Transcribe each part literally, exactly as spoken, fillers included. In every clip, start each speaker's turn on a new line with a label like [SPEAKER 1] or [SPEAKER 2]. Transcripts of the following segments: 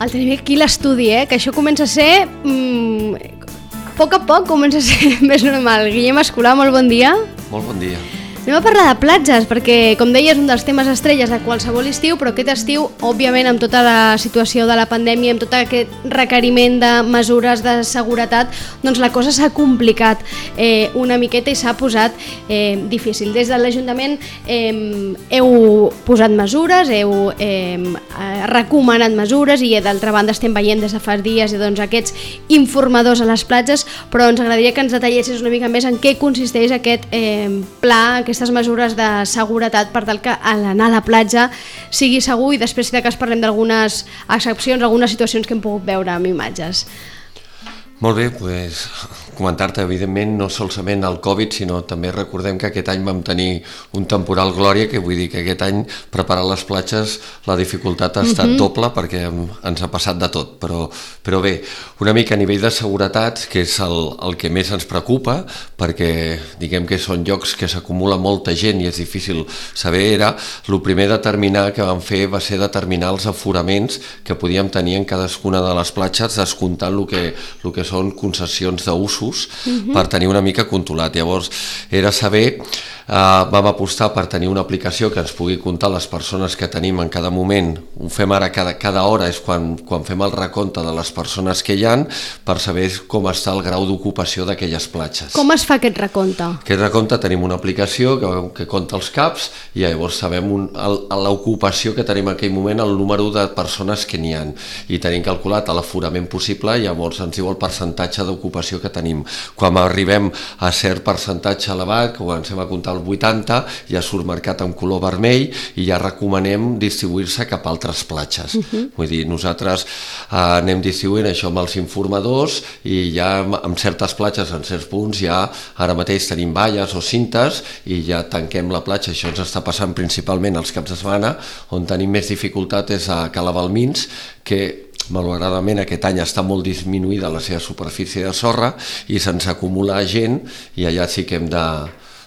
[SPEAKER 1] el tenim aquí a l'estudi, eh? Que això comença a ser... Mm, a poc a poc comença a ser més normal. Guillem Escolà, molt bon dia.
[SPEAKER 2] Molt bon dia.
[SPEAKER 1] Anem a parlar de platges, perquè, com deia, és un dels temes estrelles de qualsevol estiu, però aquest estiu, òbviament, amb tota la situació de la pandèmia, amb tot aquest requeriment de mesures de seguretat, doncs la cosa s'ha complicat eh, una miqueta i s'ha posat eh, difícil. Des de l'Ajuntament eh, heu posat mesures, heu eh, recomanat mesures i, d'altra banda, estem veient des de fa dies doncs, aquests informadors a les platges, però ens agradaria que ens detallessis una mica més en què consisteix aquest eh, pla, aquest aquestes mesures de seguretat per tal que l'anar a la platja sigui segur i després si de cas parlem d'algunes excepcions, algunes situacions que hem pogut veure amb imatges.
[SPEAKER 2] Molt bé, doncs comentar-te, evidentment, no solament el Covid, sinó també recordem que aquest any vam tenir un temporal Glòria, que vull dir que aquest any preparar les platges la dificultat ha estat uh-huh. doble perquè ens ha passat de tot, però, però bé, una mica a nivell de seguretat, que és el, el que més ens preocupa, perquè diguem que són llocs que s'acumula molta gent i és difícil saber, era el primer determinar que vam fer va ser determinar els aforaments que podíem tenir en cadascuna de les platges, descomptant el que, el que són concessions d'usos uh-huh. per tenir una mica controlat. Llavors era saber, eh, vam apostar per tenir una aplicació que ens pugui comptar les persones que tenim en cada moment. Ho fem ara cada, cada hora, és quan, quan fem el recompte de les persones que hi ha, per saber com està el grau d'ocupació d'aquelles platges.
[SPEAKER 1] Com es fa aquest recompte?
[SPEAKER 2] Aquest recompte tenim una aplicació que, que compta els caps i llavors sabem un, el, l'ocupació que tenim en aquell moment, el número de persones que n'hi ha, i tenim calculat l'aforament possible i llavors ens diu el percentatge d'ocupació que tenim. Quan arribem a cert percentatge elevat, que comencem a comptar el vuitanta, ja surt marcat en color vermell i ja recomanem distribuir-se cap a altres platges. Uh-huh. Vull dir, nosaltres eh, anem distribuint això amb els informadors i ja en certes platges, en certs punts, ja ara mateix tenim valles o cintes i ja tanquem la platja. Això ens està passant principalment els caps de setmana, on tenim més dificultat és a Cala Balmins, que malauradament aquest any està molt disminuïda la seva superfície de sorra i se'ns acumula gent i allà sí que hem de...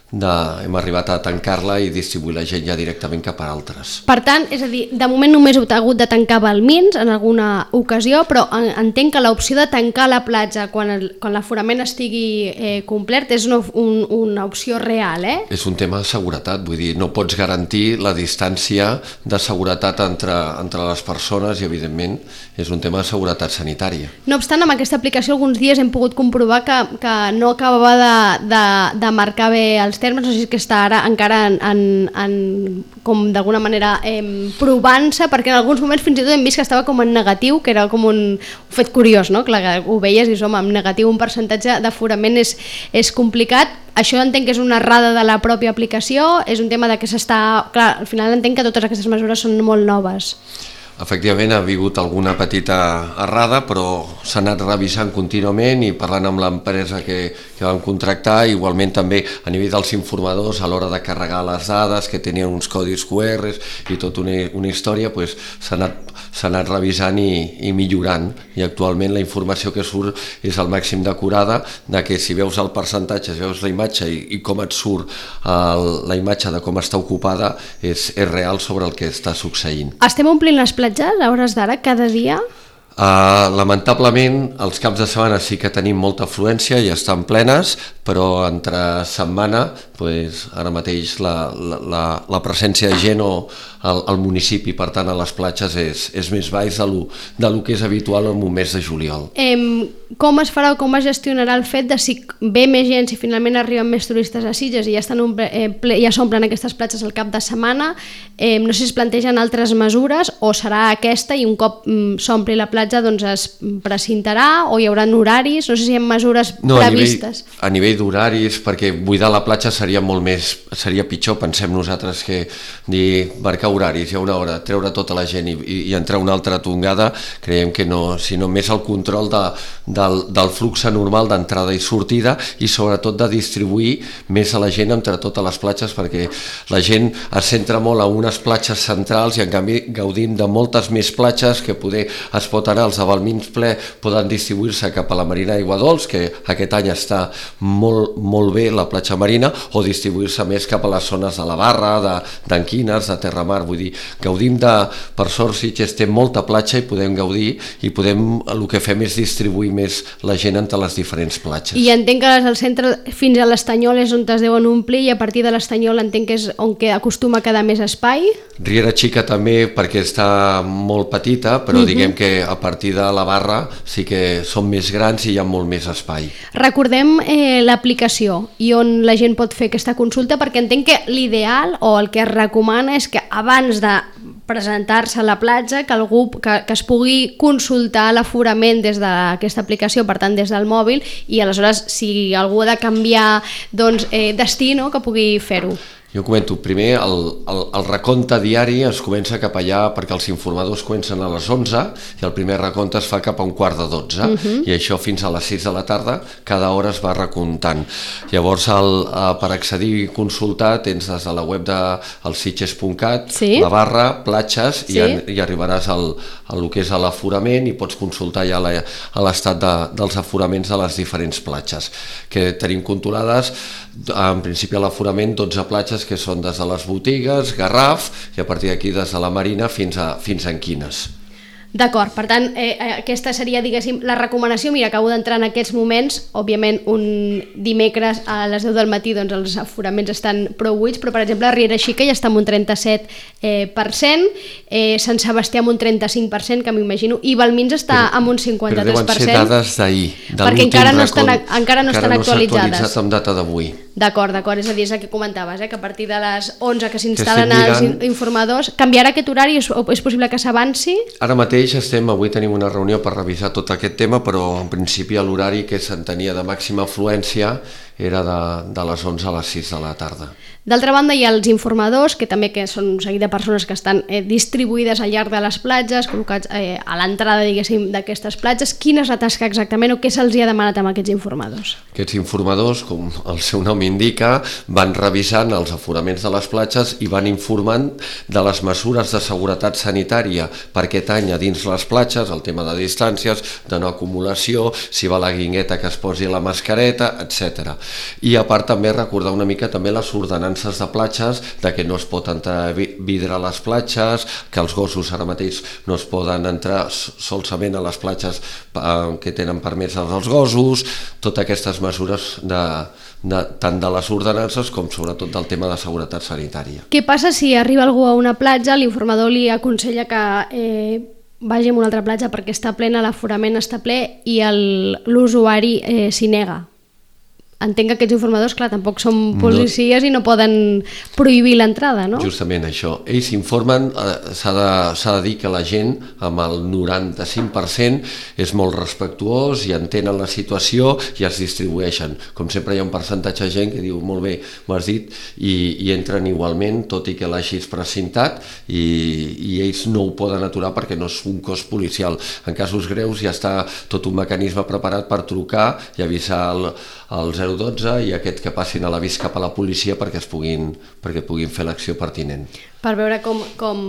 [SPEAKER 2] De, hem arribat a tancar-la i distribuir la gent ja directament cap a altres.
[SPEAKER 1] Per tant, és a dir, de moment només heu hagut de tancar Balmins en alguna ocasió, però entenc que l'opció de tancar la platja quan, el, quan l'aforament estigui eh, complert és una, un, una opció real, eh?
[SPEAKER 2] És un tema de seguretat, vull dir, no pots garantir la distància de seguretat entre, entre les persones i, evidentment, és un tema de seguretat sanitària.
[SPEAKER 1] No obstant, amb aquesta aplicació alguns dies hem pogut comprovar que, que no acabava de, de, de marcar bé els termes, no sé si és que està ara encara en, en, en, com d'alguna manera eh, provant-se, perquè en alguns moments fins i tot hem vist que estava com en negatiu, que era com un fet curiós, no? Clar, que ho veies i som en negatiu, un percentatge d'aforament és, és complicat. Això entenc que és una errada de la pròpia aplicació, és un tema de que s'està... Clar, al final entenc que totes aquestes mesures són molt noves.
[SPEAKER 2] Efectivament, ha hagut alguna petita errada, però s'ha anat revisant contínuament i parlant amb l'empresa que, que vam contractar, igualment també a nivell dels informadors a l'hora de carregar les dades, que tenien uns codis cu erre i tota una, una història, pues, s'ha anat, s'ha anat revisant i, i millorant. I actualment la informació que surt és al màxim d'acurada, de que si veus el percentatge, si veus la imatge i, i com et surt el, la imatge de com està ocupada, és, és real sobre el que està succeint.
[SPEAKER 1] Estem omplint les platges a hores d'ara, cada dia?
[SPEAKER 2] Uh, lamentablement, els caps de setmana sí que tenim molta afluència i estan plenes, però entre setmana, pues, ara mateix la, la, la presència de gent o al, al municipi, per tant a les platges, és, és més baix de lo, de lo que és habitual en un mes de juliol.
[SPEAKER 1] Eh, com es farà o com es gestionarà el fet de si ve més gent, si finalment arriben més turistes a Sitges i ja estan omple, eh, ple, ja s'omplen aquestes platges al cap de setmana? Eh, no sé si es plantegen altres mesures o serà aquesta i un cop mm, s'ompli la platja doncs es precintarà o hi haurà horaris? No sé si hi ha mesures
[SPEAKER 2] no,
[SPEAKER 1] previstes.
[SPEAKER 2] A nivell, a nivell d'horaris, perquè buidar la platja seria molt més, seria pitjor, pensem nosaltres, que dir, marcar horaris, hi ha una hora, treure tota la gent i, i, i entrar una altra tongada, creiem que no, sinó més el control de, del, del flux normal d'entrada i sortida i sobretot de distribuir més a la gent entre totes les platges, perquè la gent es centra molt a unes platges centrals i en canvi gaudim de moltes més platges que poder es pot anar ara els avalmins ple poden distribuir-se cap a la Marina d'Aigua Dols, que aquest any està molt, molt bé la platja marina, o distribuir-se més cap a les zones de la Barra, d'Anquines, de, de Terramar. Vull dir, gaudim de, per sort Sitges té molta platja i podem gaudir, i podem, el que fem és distribuir més la gent entre les diferents platges.
[SPEAKER 1] I entenc que al centre fins a l'Estanyol és on es deuen omplir, i a partir de l'Estanyol entenc que és on que acostuma a quedar més espai.
[SPEAKER 2] Riera Xica també, perquè està molt petita, però uh-huh. diguem que a partir de la Barra sí que són més grans i hi ha molt més espai.
[SPEAKER 1] Recordem eh, l'aplicació i on la gent pot fer aquesta consulta, perquè entenc que l'ideal o el que es recomana és que abans de presentar-se a la platja, que algú que, que es pugui consultar l'aforament des d'aquesta aplicació, per tant des del mòbil, i aleshores si algú ha de canviar doncs, eh, destí, no?, que pugui fer-ho.
[SPEAKER 2] Jo comento, primer el, el, el recompte diari es comença cap allà perquè els informadors comencen a les onze i el primer recompte es fa cap a un quart de dotze uh-huh. i això fins a les sis de la tarda cada hora es va recomptant. Llavors el, per accedir i consultar tens des de la web de el sitges punt cat, sí. la barra, platges sí. i, en, i arribaràs al, al que és l'aforament i pots consultar ja la, a l'estat de, dels aforaments de les diferents platges que tenim controlades. En principi a l'aforament dotze platges que són des de les botigues, Garraf, i a partir d'aquí des de la Marina fins a, fins a Anquines.
[SPEAKER 1] D'acord, per tant, eh, aquesta seria, diguéssim, la recomanació. Mira, acabo d'entrar en aquests moments, òbviament un dimecres a les deu del matí doncs els aforaments estan prou buits, però per exemple a Riera Xica ja està amb un trenta-set per cent, eh, Sant Sebastià amb un trenta-cinc per cent, que m'imagino, i Valmins està però, amb un cinquanta-tres per cent.
[SPEAKER 2] Però deuen ser dades d'ahir, de
[SPEAKER 1] perquè encara no estan, encara no estan
[SPEAKER 2] encara
[SPEAKER 1] actualitzades.
[SPEAKER 2] No s'ha actualitzat amb data d'avui.
[SPEAKER 1] D'acord, d'acord, és a dir, és el que comentaves, eh, que a partir de les onze que s'instal·len els informadors, canviarà aquest horari? És, és possible que s'avanci?
[SPEAKER 2] Ara mateix estem, avui tenim una reunió per revisar tot aquest tema, però en principi l'horari que s'entenia de màxima afluència era de, de les onze a les sis de la tarda.
[SPEAKER 1] D'altra banda hi ha els informadors, que també que són un seguit de persones que estan eh, distribuïdes al llarg de les platges, col·locats eh, a l'entrada, diguéssim, d'aquestes platges. Quina és la tasca exactament o què se'ls ha demanat amb aquests informadors?
[SPEAKER 2] Aquests informadors, com el seu nom indica, van revisant els aforaments de les platges i van informant de les mesures de seguretat sanitària per aquest any a dins les platges, el tema de distàncies, de no acumulació, si va la guingueta que es posi la mascareta, etcètera. I a part també recordar una mica també les ordenances de platges, de que no es pot entrar vidre a les platges, que els gossos ara mateix no es poden entrar solament a les platges que tenen permès els gossos, totes aquestes mesures de, de, tant de les ordenances com sobretot del tema de seguretat sanitària.
[SPEAKER 1] Què passa si arriba algú a una platja, l'informador li aconsella que eh, vagi a una altra platja perquè està plena, l'aforament està ple i l'usuari eh, s'hi nega? Entenc que aquests informadors, clar, tampoc són policies no, i no poden prohibir l'entrada, no?
[SPEAKER 2] Justament això. Ells informen, eh, s'ha de, s'ha de dir que la gent, amb el noranta-cinc per cent, és molt respectuós i entenen la situació i es distribueixen. Com sempre hi ha un percentatge de gent que diu, molt bé, m'ho has dit, i, i entren igualment, tot i que l'hagis precintat, i, i ells no ho poden aturar perquè no és un cos policial. En casos greus ja està tot un mecanisme preparat per trucar i avisar el, el zero dotze i aquest que passin a l'avís cap a la policia perquè es puguin, perquè puguin fer l'acció pertinent.
[SPEAKER 1] Per veure com, com,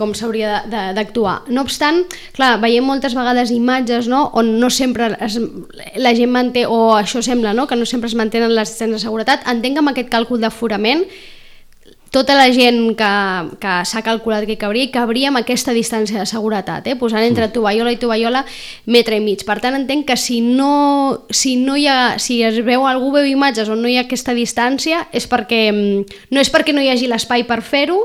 [SPEAKER 1] com s'hauria d'actuar. No obstant, clar, veiem moltes vegades imatges, no?, on no sempre es, la gent manté, o això sembla, no?, que no sempre es mantenen les distàncies de seguretat. Entenc que amb aquest càlcul d'aforament tota la gent que, que s'ha calculat que cabria, cabria amb aquesta distància de seguretat, eh? Posant entre tovallola i tovallola metre i mig. Per tant, entenc que si no, si no hi ha, si es veu, algú veu imatges on no hi ha aquesta distància, és perquè, no és perquè no hi hagi l'espai per fer-ho,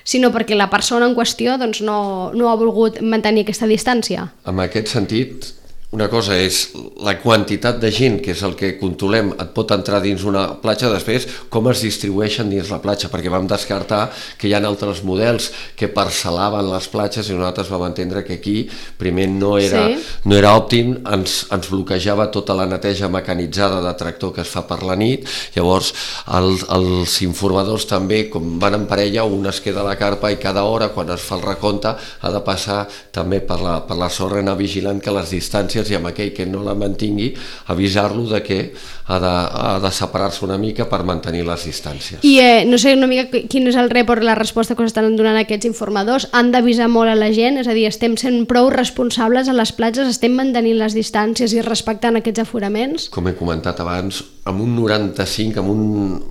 [SPEAKER 1] sinó perquè la persona en qüestió doncs, no, no ha volgut mantenir aquesta distància.
[SPEAKER 2] En aquest sentit, una cosa és la quantitat de gent, que és el que controlem, et pot entrar dins una platja, després com es distribueixen dins la platja, perquè vam descartar que hi ha altres models que parcel·laven les platges i nosaltres vam entendre que aquí primer no era, sí. no era òptim, ens, ens bloquejava tota la neteja mecanitzada de tractor que es fa per la nit, llavors el, els informadors també, com van en parella, un es queda a la carpa i cada hora quan es fa el recompte ha de passar també per la, per la sorra, anar vigilant que les distàncies distàncies i amb aquell que no la mantingui avisar-lo de que ha de, ha de separar-se una mica per mantenir les distàncies.
[SPEAKER 1] I eh, no sé una mica quin és el report, la resposta que us estan donant aquests informadors. Han d'avisar molt a la gent, és a dir, estem sent prou responsables a les platges, estem mantenint les distàncies i respectant aquests aforaments?
[SPEAKER 2] Com he comentat abans, amb un noranta-cinc, amb un,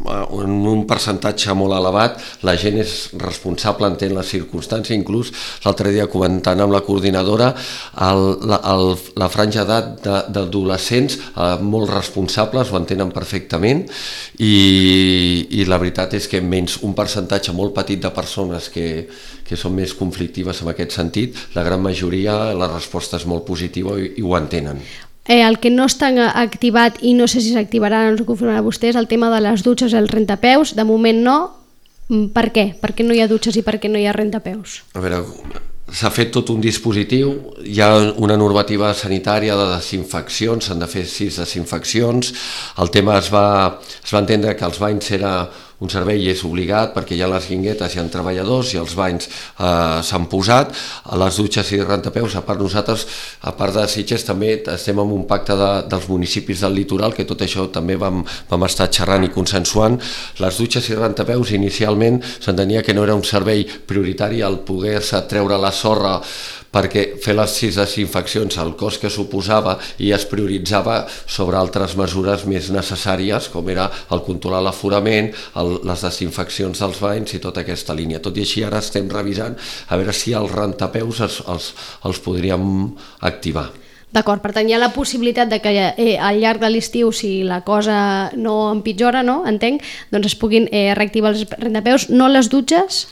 [SPEAKER 2] amb un percentatge molt elevat, la gent és responsable, entén les circumstàncies, inclús l'altre dia comentant amb la coordinadora, el, la, el, la franja d'edat d'adolescents eh, molt responsables, ho entenen perfectament i, i la veritat és que menys un percentatge molt petit de persones que, que són més conflictives en aquest sentit, la gran majoria la resposta és molt positiva i, i ho entenen.
[SPEAKER 1] Eh, el que no està activat i no sé si s'activarà, no ens ho confirmarà vostè, és el tema de les dutxes i el rentapeus. De moment no. Per què? Per què no hi ha dutxes i per què no hi ha rentapeus?
[SPEAKER 2] A veure, s'ha fet tot un dispositiu, hi ha una normativa sanitària de desinfeccions, s'han de fer sis desinfeccions, el tema es va, es va entendre que els banys era un servei és obligat perquè hi ha les guinguetes, hi ha treballadors i els banys eh, s'han posat, a les dutxes i rentapeus, a part nosaltres, a part de Sitges, també estem en un pacte de, dels municipis del litoral, que tot això també vam, vam estar xerrant i consensuant. Les dutxes i rentapeus inicialment s'entenia que no era un servei prioritari el poder-se treure la sorra perquè fer les sis desinfeccions el cost que suposava i es prioritzava sobre altres mesures més necessàries com era el controlar l'aforament, les desinfeccions dels banys i tota aquesta línia. Tot i així ara estem revisant a veure si els rentapeus els, els, els podríem activar.
[SPEAKER 1] D'acord, per tant hi ha la possibilitat de que eh, al llarg de l'estiu, si la cosa no empitjora, no, entenc, doncs es puguin eh, reactivar els rentapeus, no les dutxes?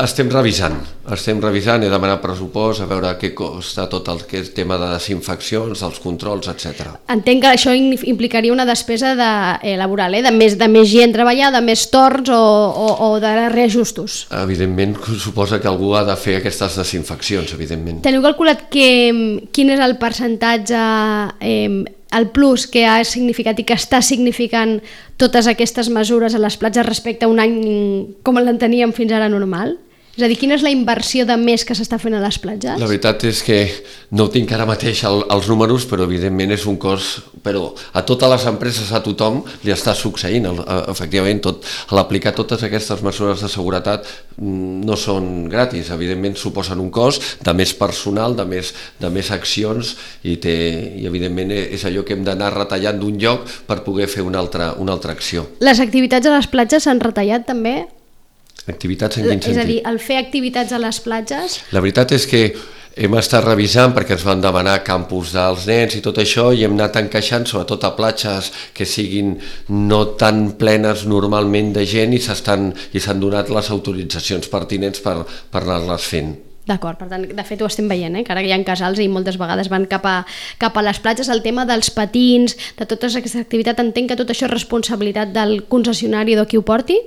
[SPEAKER 2] Estem revisant, estem revisant, he demanat pressupost, a veure què costa tot el que és tema de desinfeccions, dels controls, etcètera.
[SPEAKER 1] Entenc que això implicaria una despesa de, eh, laboral, eh? de, més, de més gent treballar, de més torns o, o, o de reajustos.
[SPEAKER 2] Evidentment, suposa que algú ha de fer aquestes desinfeccions, evidentment.
[SPEAKER 1] Teniu calculat que, quin és el percentatge, eh, el plus que ha significat i que està significant totes aquestes mesures a les platges respecte a un any com l'enteníem fins ara normal? És a dir, quina és la inversió de més que s'està fent a les platges?
[SPEAKER 2] La veritat és que no tinc ara mateix el, els números, però evidentment és un cost, però a totes les empreses, a tothom, li està succeint. Efectivament, tot, a l'aplicar totes aquestes mesures de seguretat no són gratis, evidentment suposen un cost de més personal, de més, de més accions i, té, i evidentment és allò que hem d'anar retallant d'un lloc per poder fer una altra, una altra acció.
[SPEAKER 1] Les activitats a les platges s'han retallat també?
[SPEAKER 2] Activitats en quin sentit?
[SPEAKER 1] És a dir, el fer activitats a les platges...
[SPEAKER 2] La veritat és que hem estat revisant perquè ens van demanar campus dels nens i tot això i hem anat encaixant sobretot a platges que siguin no tan plenes normalment de gent i s'estan i s'han donat les autoritzacions pertinents per, per anar-les fent.
[SPEAKER 1] D'acord, per tant, de fet ho estem veient, eh? Que ara hi ha casals i moltes vegades van cap a, cap a les platges. El tema dels patins, de totes aquestes activitats, entenc que tot això és responsabilitat del concessionari o de qui ho porti?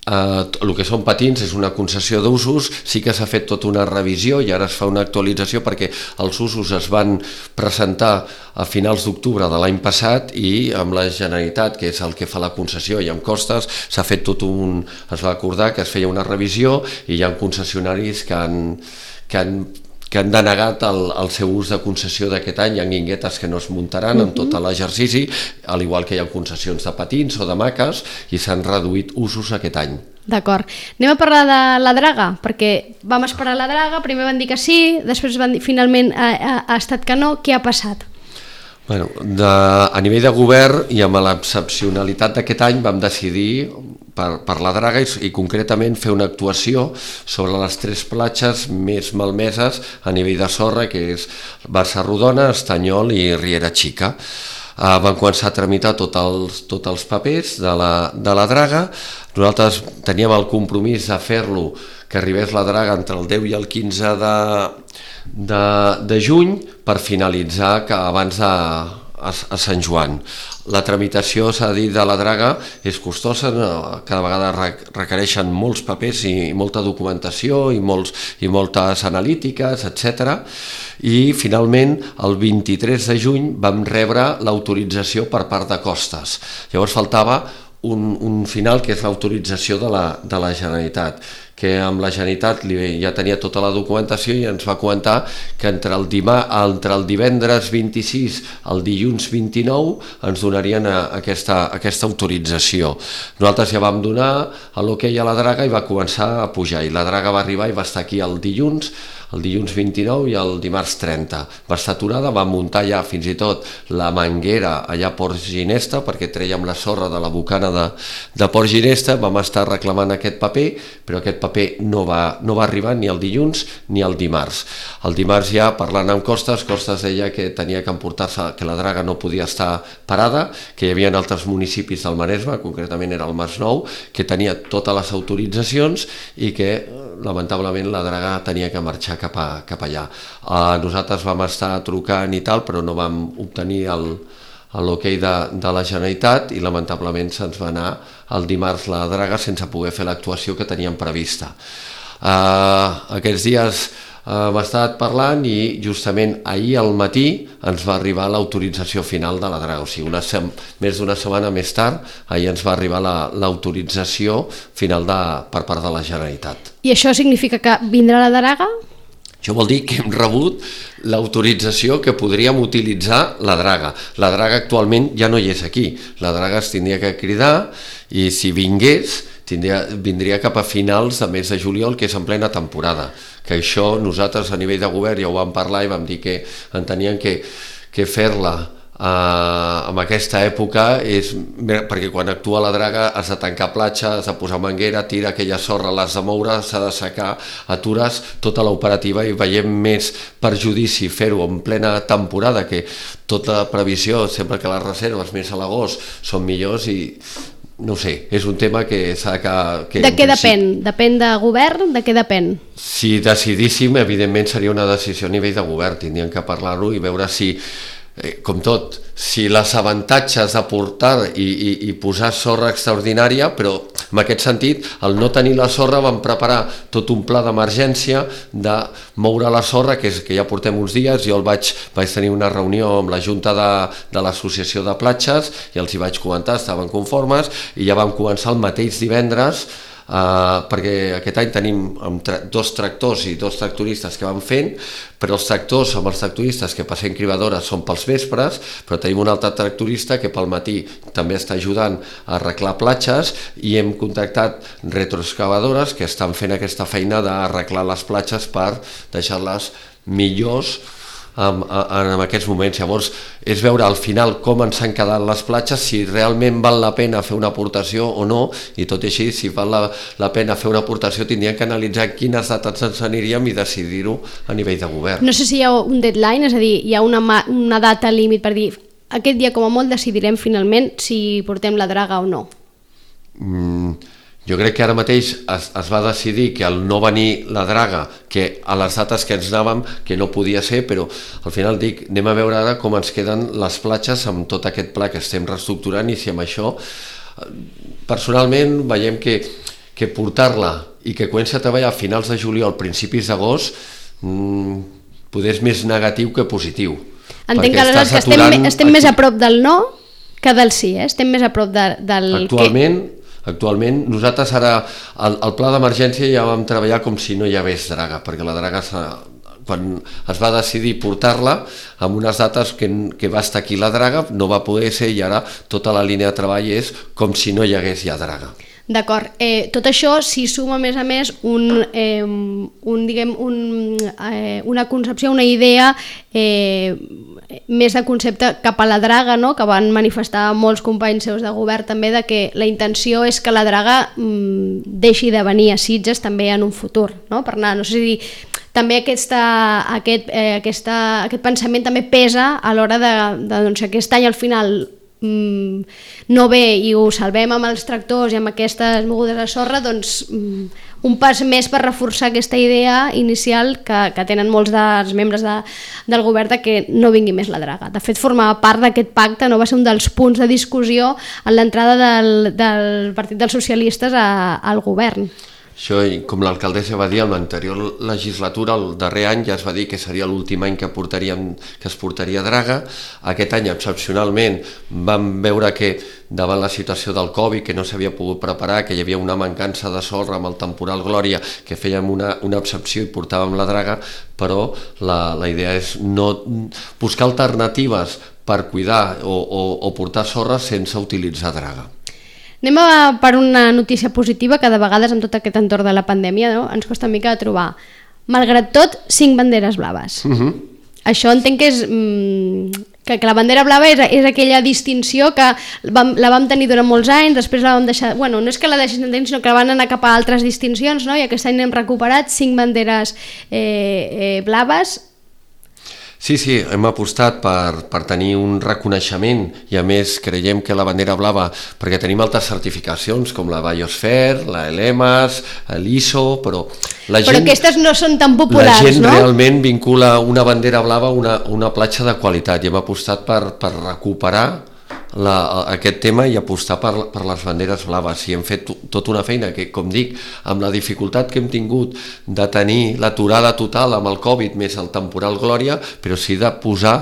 [SPEAKER 2] Uh, el que són patins és una concessió d'usos, sí que s'ha fet tota una revisió i ara es fa una actualització perquè els usos es van presentar a finals d'octubre de l'any passat i amb la Generalitat, que és el que fa la concessió i amb costes, s'ha fet tot un... es va acordar que es feia una revisió i hi ha concessionaris que han, que han que han denegat el, el seu ús de concessió d'aquest any. Hi ha guinguetes que no es muntaran en tot l'exercici, al igual que hi ha concessions de patins o de maques, i s'han reduït usos aquest any.
[SPEAKER 1] D'acord. Anem a parlar de la draga, perquè vam esperar la draga, primer van dir que sí, després van dir, finalment ha, ha, ha estat que no. Què ha passat?
[SPEAKER 2] Bueno, de, a nivell de govern i amb l'excepcionalitat d'aquest any vam decidir per, per la draga i, i concretament fer una actuació sobre les tres platges més malmeses a nivell de sorra, que és Bassa-Rodona, Estanyol i Riera Xica. Uh, van començar a tramitar tots els, tots els papers de la, de la draga. Nosaltres teníem el compromís de fer-lo, que arribés la draga entre el deu i el quinze de, de, de juny per finalitzar que abans de a, a Sant Joan. La tramitació, s'ha dit, de la draga és costosa, cada vegada requereixen molts papers i molta documentació i, molts, i moltes analítiques, etcètera. I finalment el vint-i-tres de juny vam rebre l'autorització per part de Costes. Llavors faltava un, un final, que és l'autorització de la, de la Generalitat. que amb la Generalitat ja tenia tota la documentació i ens va comentar que entre el, dimà, entre el divendres vint-i-sis al dilluns vint-i-nou ens donarien aquesta, aquesta autorització. Nosaltres ja vam donar l'hoquei a la draga i va començar a pujar, i la draga va arribar i va estar aquí el dilluns, el dilluns vint-i-nou i el dimarts trenta. Va estar aturada, va muntar ja fins i tot la manguera allà a Port Ginesta, perquè trèiem la sorra de la bocana de, de Port Ginesta, vam estar reclamant aquest paper, però aquest paper no va, no va arribar ni el dilluns ni el dimarts. El dimarts ja, parlant amb Costes, Costes deia que tenia que emportar-se, que la draga no podia estar parada, que hi havia altres municipis del Maresme, concretament era el Masnou, que tenia totes les autoritzacions i que, lamentablement, la draga tenia que marxar cap, a, cap allà. Uh, nosaltres vam estar trucant i tal, però no vam obtenir el, l'hoquei de, de la Generalitat i lamentablement se'ns va anar el dimarts la draga sense poder fer l'actuació que teníem prevista. Uh, aquests dies uh, hem estat parlant i justament ahir al matí ens va arribar l'autorització final de la draga, o sigui, una sem- més d'una setmana més tard, ahir ens va arribar la, l'autorització final de, per part de la Generalitat.
[SPEAKER 1] I això significa que vindrà la draga?
[SPEAKER 2] Això vol dir que hem rebut l'autorització que podríem utilitzar la draga. La draga actualment ja no hi és aquí. La draga es tindria que cridar i si vingués tindria, vindria cap a finals de mes de juliol, que és en plena temporada. Que això nosaltres a nivell de govern ja ho vam parlar i vam dir que enteníem que, que fer-la Uh, en aquesta època és perquè quan actua la draga has de tancar platja, has de posar manguera, tira aquella sorra, l'has de moure, s'ha de secar, atures tota l'operativa i veiem més perjudici fer-ho en plena temporada, que tota previsió, sempre que les reserves més a l'agost són millors i no ho sé, és un tema que s'ha que... que
[SPEAKER 1] de què depèn? Depèn de govern? De què depèn?
[SPEAKER 2] Si decidíssim, evidentment seria una decisió a nivell de govern, tindríem que parlar-ho i veure si Eh, com tot, si les avantatges de portar i, i, i posar sorra extraordinària, però en aquest sentit, al no tenir la sorra vam preparar tot un pla d'emergència de moure la sorra, que, és, que ja portem uns dies. Jo el vaig, vaig tenir una reunió amb la Junta de, de l'Associació de Platges i els hi vaig comentar, estaven conformes i ja vam començar el mateix divendres. Uh, perquè aquest any tenim tra- dos tractors i dos tractoristes que van fent, però els tractors amb els tractoristes que passem cribadores són pels vespres, però tenim un altre tractorista que pel matí també està ajudant a arreglar platges i hem contactat retroexcavadores que estan fent aquesta feina d'arreglar les platges per deixar-les millors En, en, en aquests moments. Llavors és veure al final com ens han quedat les platges, si realment val la pena fer una aportació o no, i tot i així, si val la, la pena fer una aportació tindríem que analitzar quines dates ens aniríem i decidir-ho a nivell de govern.
[SPEAKER 1] No sé si hi ha un deadline, és a dir, hi ha una, una data límit per dir aquest dia com a molt decidirem finalment si portem la draga o no.
[SPEAKER 2] Mm, jo crec que ara mateix es, es va decidir que al no venir la draga, que a les dates que ens anàvem, que no podia ser, però al final dic, anem a veure ara com ens queden les platges amb tot aquest pla que estem reestructurant i si amb això, personalment veiem que, que portar-la i que comenci a treballar a finals de juliol, principis d'agost, mmm, poder és més negatiu que positiu.
[SPEAKER 1] Entenc que aleshores que estem, estem més a prop del no que del sí, eh? Estem més a prop de, del...
[SPEAKER 2] Actualment... Que... Actualment, nosaltres ara, el, el pla d'emergència ja vam treballar com si no hi hagués draga, perquè la draga, quan es va decidir portar-la, amb unes dates que, que va estar aquí la draga, no va poder ser i ara tota la línia de treball és com si no hi hagués ja draga.
[SPEAKER 1] D'acord. Eh, tot això s'hi suma, a més a més, un, eh, un, diguem, un, eh, una concepció, una idea eh, més de concepte cap a la draga, no? Que van manifestar molts companys seus de govern també, de que la intenció és que la draga mm, deixi de venir a Sitges també en un futur, no? Per anar, no sé si dir, també aquesta, aquest, eh, aquesta, aquest pensament també pesa a l'hora de, de doncs, aquest any al final no ve i ho salvem amb els tractors i amb aquestes mogudes de sorra, doncs un pas més per reforçar aquesta idea inicial que, que tenen molts dels membres de, del govern de que no vingui més la draga. De fet, formava part d'aquest pacte, no va ser un dels punts de discussió en l'entrada del, del Partit dels Socialistes a, al govern.
[SPEAKER 2] Això, com l'alcaldessa va dir, en l'anterior legislatura, el darrer any, ja es va dir que seria l'últim any que, portaríem, que es portaria draga. Aquest any, excepcionalment, vam veure que davant la situació del Covid, que no s'havia pogut preparar, que hi havia una mancança de sorra amb el temporal Glòria, que fèiem una, una excepció i portàvem la draga, però la, la idea és no buscar alternatives per cuidar o, o, o portar sorra sense utilitzar draga.
[SPEAKER 1] Anem a per una notícia positiva, que de vegades amb tot aquest entorn de la pandèmia, no, ens costa una mica de trobar. Malgrat tot, cinc banderes blaves. Uh-huh. Això entenc que és... Mm, que, que la bandera blava és, és aquella distinció que vam, la vam tenir durant molts anys, després la vam deixar... Bueno, no és que la deixin tenir, sinó que la van anar cap a altres distincions, no? I aquest any hem recuperat cinc banderes eh, eh, blaves.
[SPEAKER 2] Sí, sí, hem apostat per, per tenir un reconeixement i a més creiem que la bandera blava, perquè tenim altres certificacions com la Biosphere, la Elemas, l'I S O, però la gent...
[SPEAKER 1] Però aquestes no són tan populars, no?
[SPEAKER 2] La gent no? realment vincula una bandera blava a una, una platja de qualitat i hem apostat per, per recuperar La, aquest tema i apostar per, per les banderes blaves, i hem fet tota una feina que, com dic, amb la dificultat que hem tingut de tenir l'aturada total amb el Covid més el temporal Glòria, però sí de posar,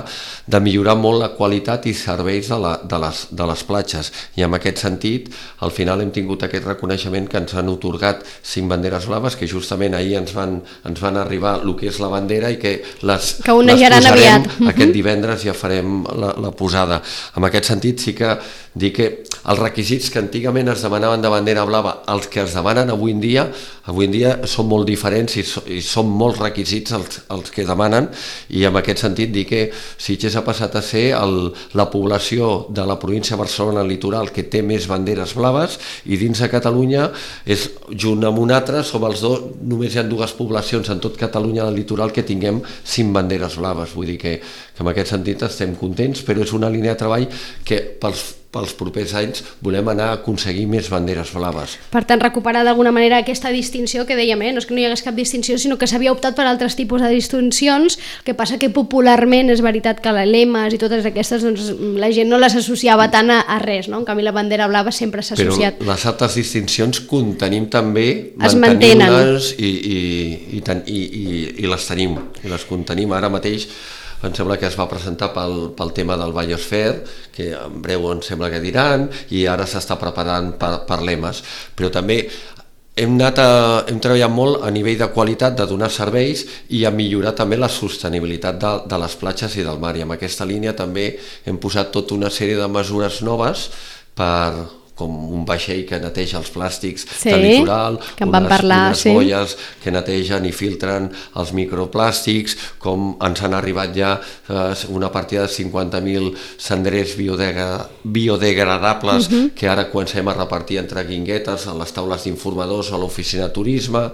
[SPEAKER 2] de millorar molt la qualitat i serveis de, la, de, les, de les platges, i en aquest sentit al final hem tingut aquest reconeixement que ens han atorgat cinc banderes blaves que justament ahir ens van, ens van arribar el que és la bandera i que les,
[SPEAKER 1] que
[SPEAKER 2] les posarem
[SPEAKER 1] aviat.
[SPEAKER 2] Aquest divendres, ja farem la, la posada. En aquest sentit sí que dir que els requisits que antigament es demanaven de bandera blava, els que es demanen avui en dia, avui en dia són molt diferents i, so, i són molts requisits els, els que demanen, i en aquest sentit dir que Sitges ha passat a ser el, la població de la província de Barcelona litoral que té més banderes blaves, i dins de Catalunya és, junt amb una altra, som els dos, només hi ha dues poblacions en tot Catalunya del litoral que tinguem cinc banderes blaves, vull dir que, que en aquest sentit estem contents, però és una línia de treball que pels, pels propers anys volem anar a aconseguir més banderes blaves.
[SPEAKER 1] Per tant, recuperar d'alguna manera aquesta distinció que dèiem, eh? No és que no hi hagués cap distinció, sinó que s'havia optat per altres tipus de distincions, que passa que popularment és veritat que l'Elemas i totes aquestes, doncs, la gent no les associava tant a, a res, no? En canvi la bandera blava sempre s'ha associat.
[SPEAKER 2] Però les altres distincions contenim també,
[SPEAKER 1] es mantenir-les
[SPEAKER 2] i, i, i, i, i, i les tenim, i les contenim ara mateix. Em sembla que es va presentar pel, pel tema del Biosphere, que en breu em sembla que diran, i ara s'està preparant per, per l'Emas. Però també hem, anat a, hem treballat molt a nivell de qualitat, de donar serveis i a millorar també la sostenibilitat de, de les platges i del mar. I amb aquesta línia també hem posat tota una sèrie de mesures noves per... com un vaixell que neteja els plàstics
[SPEAKER 1] sí,
[SPEAKER 2] del litoral,
[SPEAKER 1] que unes, parlar,
[SPEAKER 2] unes
[SPEAKER 1] sí.
[SPEAKER 2] boies que netegen i filtren els microplàstics, com ens han arribat ja eh, una partida de cinquanta mil cendrers biodegra biodegradables uh-huh. que ara comencem a repartir entre guinguetes a les taules d'informadors o a l'oficina de turisme.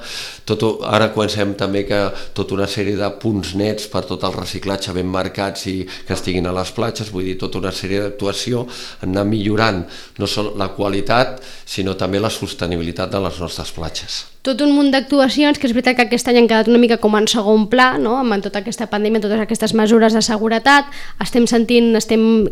[SPEAKER 2] Tot, ara comencem també que tota una sèrie de punts nets per tot el reciclatge ben marcats i que estiguin a les platges, vull dir, tota una sèrie d'actuació, anar millorant no sol la qualitat, sinó també la sostenibilitat de les nostres platges.
[SPEAKER 1] Tot un munt d'actuacions, que és veritat que aquest any han quedat una mica com en segon pla, no? Amb tota aquesta pandèmia, totes aquestes mesures de seguretat. Estem sentint, estem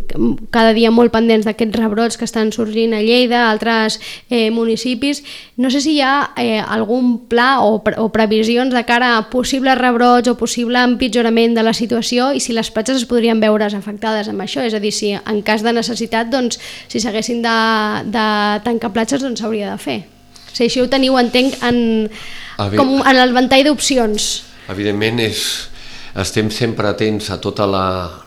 [SPEAKER 1] cada dia molt pendents d'aquests rebrots que estan sorgint a Lleida, a altres eh, municipis. No sé si hi ha eh, algun pla o, pre o previsions de cara a possibles rebrots o possible empitjorament de la situació, i si les platges es podrien veure's afectades amb això, és a dir, si en cas de necessitat, doncs, si s'haguessin de, de tancar platges, doncs s'hauria de fer. Si això ho teniu, entenc, en, com en el ventall d'opcions.
[SPEAKER 2] Evidentment, és, estem sempre atents a tota la,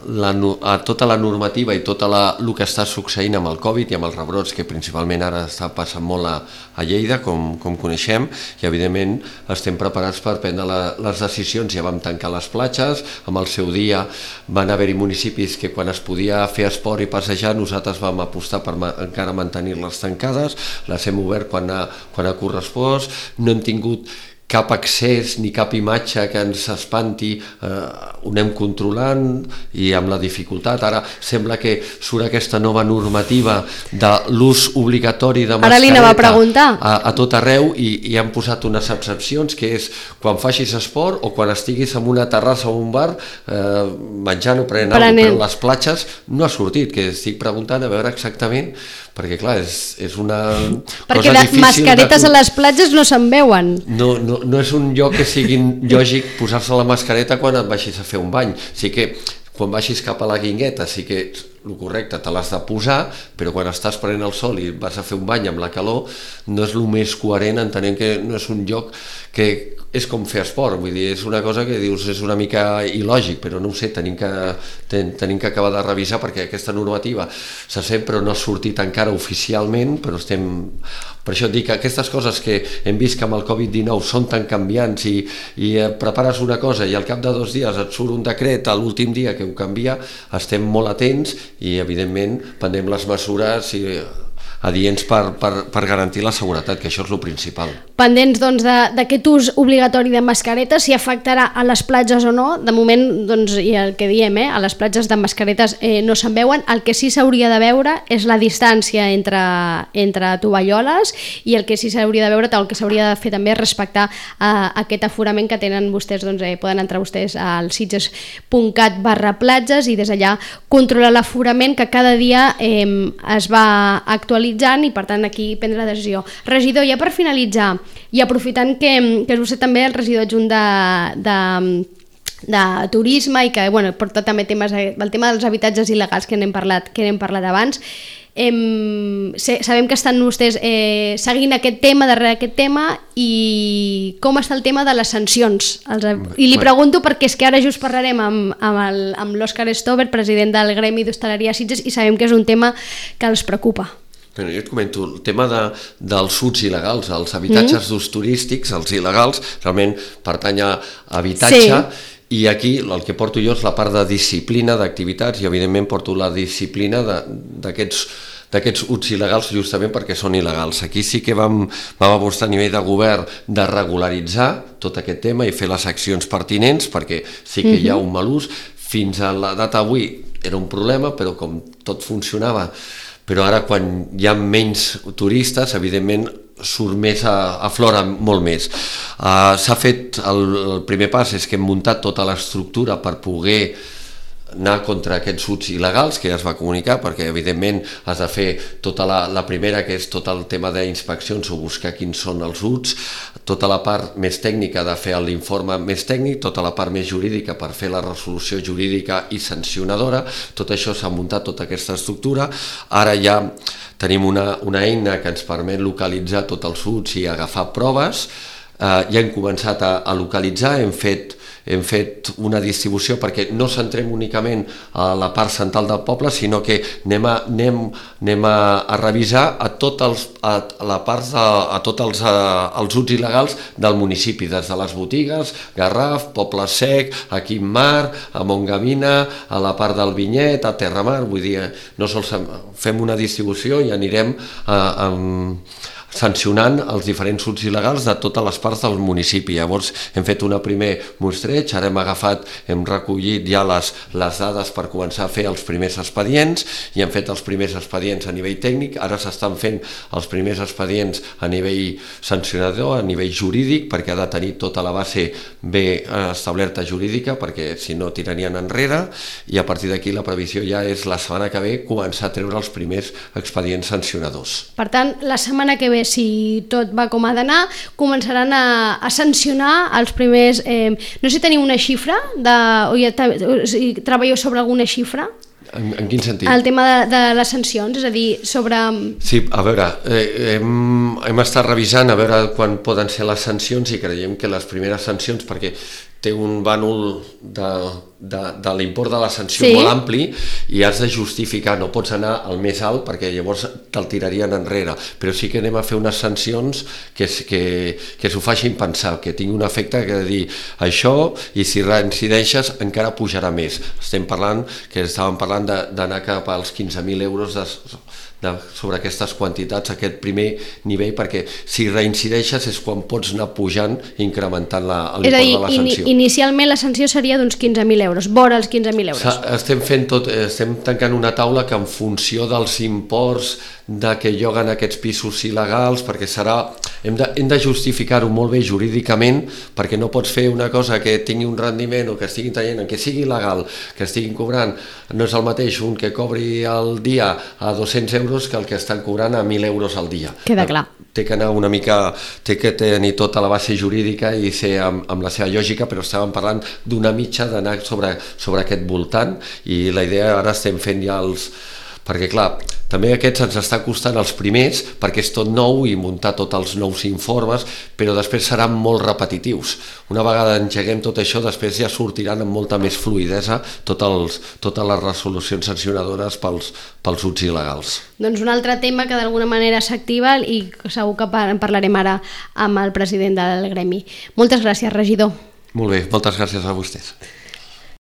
[SPEAKER 2] la, a tota la normativa i tot el que està succeint amb el Covid i amb els rebrots, que principalment ara està passant molt a, a Lleida, com, com coneixem, i evidentment estem preparats per prendre la, les decisions. Ja vam tancar les platges, amb el seu dia van haver-hi municipis que quan es podia fer esport i passejar nosaltres vam apostar per ma encara mantenir-les tancades, les hem obert quan ha, quan ha correspost, no hem tingut cap accés ni cap imatge que ens espanti, eh, ho anem controlant i amb la dificultat. Ara sembla que surt aquesta nova normativa de l'ús obligatori de mascareta.
[SPEAKER 1] Ara li anava a preguntar.
[SPEAKER 2] A, a tot arreu i, i han posat unes excepcions, que és quan facis esport o quan estiguis en una terrassa o un bar eh, menjant o prenent alguna cosa, però les platges no ha sortit, que estic preguntant a veure exactament, perquè clar, és, és una
[SPEAKER 1] perquè
[SPEAKER 2] cosa difícil.
[SPEAKER 1] Perquè mascaretes
[SPEAKER 2] de...
[SPEAKER 1] a les platges no se'n veuen.
[SPEAKER 2] No, no, no és un lloc que sigui lògic posar-se la mascareta quan et baixis a fer un bany. Sí que quan baixis cap a la guingueta sí que el correcte te l'has de posar, però quan estàs prenent el sol i vas a fer un bany amb la calor no és el més coherent, entenent que no és un lloc que és com fer esport, vull dir, és una cosa que dius és una mica il·lògic, però no ho sé, tenim que, ten, tenim que acabar de revisar perquè aquesta normativa se sent però no ha sortit encara oficialment, però estem... Per això et dic que aquestes coses que hem vist que amb el covid dinou són tan canviants i, i prepares una cosa i al cap de dos dies et surt un decret a l'últim dia que ho canvia, estem molt atents i evidentment prendrem les mesures i adients per, per, per garantir la seguretat, que això és el principal.
[SPEAKER 1] Pendents doncs, d'aquest ús obligatori de mascaretes, si afectarà a les platges o no, de moment, doncs, i el que diem, eh, a les platges de mascaretes eh, no se'n veuen, el que sí s'hauria de veure és la distància entre, entre tovalloles i el que sí s'hauria de veure, el que s'hauria de fer també és respectar eh, aquest aforament que tenen vostès, doncs, eh, poden entrar vostès al sitges punt cat barra platges i des d'allà controlar l'aforament que cada dia eh, es va actualitzar i per tant aquí prendre la decisió. Regidor, ja per finalitzar i aprofitant que, que és vostè també el regidor adjunt de, de, de turisme i que bueno, porta també temes, el tema dels habitatges il·legals que n'hem parlat, que n'hem parlat abans, Em, sabem que estan vostès eh, seguint aquest tema, darrere aquest tema, i com està el tema de les sancions? Els, I li pregunto perquè és que ara just parlarem amb, amb, el, amb l'Òscar Stover, president del Gremi d'Hostaleria Sitges, i sabem que és un tema que els preocupa.
[SPEAKER 2] Bueno, jo et comento, el tema de, dels uts il·legals, els habitatges mm. d'ús turístics, els il·legals, realment pertany a habitatge, sí. I aquí el que porto jo és la part de disciplina d'activitats i evidentment porto la disciplina d'aquests d'aquests uts il·legals justament perquè són il·legals. Aquí sí que vam, vam apostar a nivell de govern de regularitzar tot aquest tema i fer les accions pertinents perquè sí que hi ha un mal ús. Fins a la data d'avui era un problema, però com tot funcionava, però ara quan hi ha menys turistes, evidentment surt més, aflora molt més. Uh, s'ha fet, el, el primer pas és que hem muntat tota l'estructura per poder anar contra aquests uts il·legals que ja es va comunicar, perquè evidentment has de fer tota la, la primera, que és tot el tema d'inspeccions o buscar quins són els uts, tota la part més tècnica de fer l'informe més tècnic, tota la part més jurídica per fer la resolució jurídica i sancionadora, tot això s'ha muntat, tota aquesta estructura. Ara ja tenim una, una eina que ens permet localitzar tots els uts i agafar proves, eh, ja hem començat a, a localitzar, hem fet hem fet una distribució perquè no centrem únicament a la part central del poble, sinó que anem a, anem, anem a, a revisar a, tot els, a, la part de, a tots els, els uts il·legals del municipi, des de les botigues, Garraf, Poble Sec, a Quimar, a Montgavina, a la part del Vinyet, a Terramar, vull dir, no sols fem una distribució i anirem a, a sancionant els diferents uts il·legals de totes les parts del municipi. Llavors hem fet un primer mostreig, ara hem agafat, hem recollit ja les, les dades per començar a fer els primers expedients i hem fet els primers expedients a nivell tècnic, ara s'estan fent els primers expedients a nivell sancionador, a nivell jurídic, perquè ha de tenir tota la base bé establerta jurídica, perquè si no tirarien enrere, i a partir d'aquí la previsió ja és la setmana que ve començar a treure els primers expedients sancionadors.
[SPEAKER 1] Per tant, la setmana que ve, si tot va com ha d'anar, començaran a, a sancionar els primers... Eh, no sé si teniu una xifra, de, o ja o si treballeu sobre alguna xifra?
[SPEAKER 2] En, en quin sentit?
[SPEAKER 1] El tema de, de les sancions, és a dir, sobre...
[SPEAKER 2] Sí, a veure, eh, hem, hem estat revisant a veure quan poden ser les sancions i creiem que les primeres sancions, perquè té un bànol de, de, de l'import de la sanció sí. molt ampli i has de justificar, no pots anar al més alt perquè llavors te'l tirarien enrere, però sí que anem a fer unes sancions que, que, que s'ho facin pensar, que tingui un efecte que dir això, i si reincideixes encara pujarà més. Estem parlant que estàvem parlant d'anar cap als quinze mil euros de, de, sobre aquestes quantitats, aquest primer nivell, perquè si reincideixes és quan pots anar pujant i incrementant l'import de la sanció.
[SPEAKER 1] In, inicialment la sanció seria d'uns quinze mil euros, vora els quinze mil euros.
[SPEAKER 2] Estem fent tot, estem tancant una taula que en funció dels imports de que lloguen aquests pisos il·legals, perquè serà, hem de, hem de justificar-ho molt bé jurídicament, perquè no pots fer una cosa que tingui un rendiment o que estiguin traient, que sigui il·legal, que estiguin cobrant, no és el mateix un que cobri al dia a dos-cents euros que el que estan cobrant a mil euros al dia.
[SPEAKER 1] Queda clar.
[SPEAKER 2] Té que anar una mica, té que tenir tota la base jurídica i ser amb, amb la seva lògica, però estàvem parlant d'una mitja d'anar sobre, sobre aquest voltant, i la idea ara estem fent ja els... perquè clar, també aquests ens està costant els primers perquè és tot nou i muntar tots els nous informes, però després seran molt repetitius. Una vegada engeguem tot això, després ja sortiran amb molta més fluïdesa tot els, totes les resolucions sancionadores pels, pels usos il·legals.
[SPEAKER 1] Doncs un altre tema que d'alguna manera s'activa i segur que en parlarem ara amb el president del gremi. Moltes gràcies, regidor.
[SPEAKER 2] Molt bé, moltes gràcies a vostès.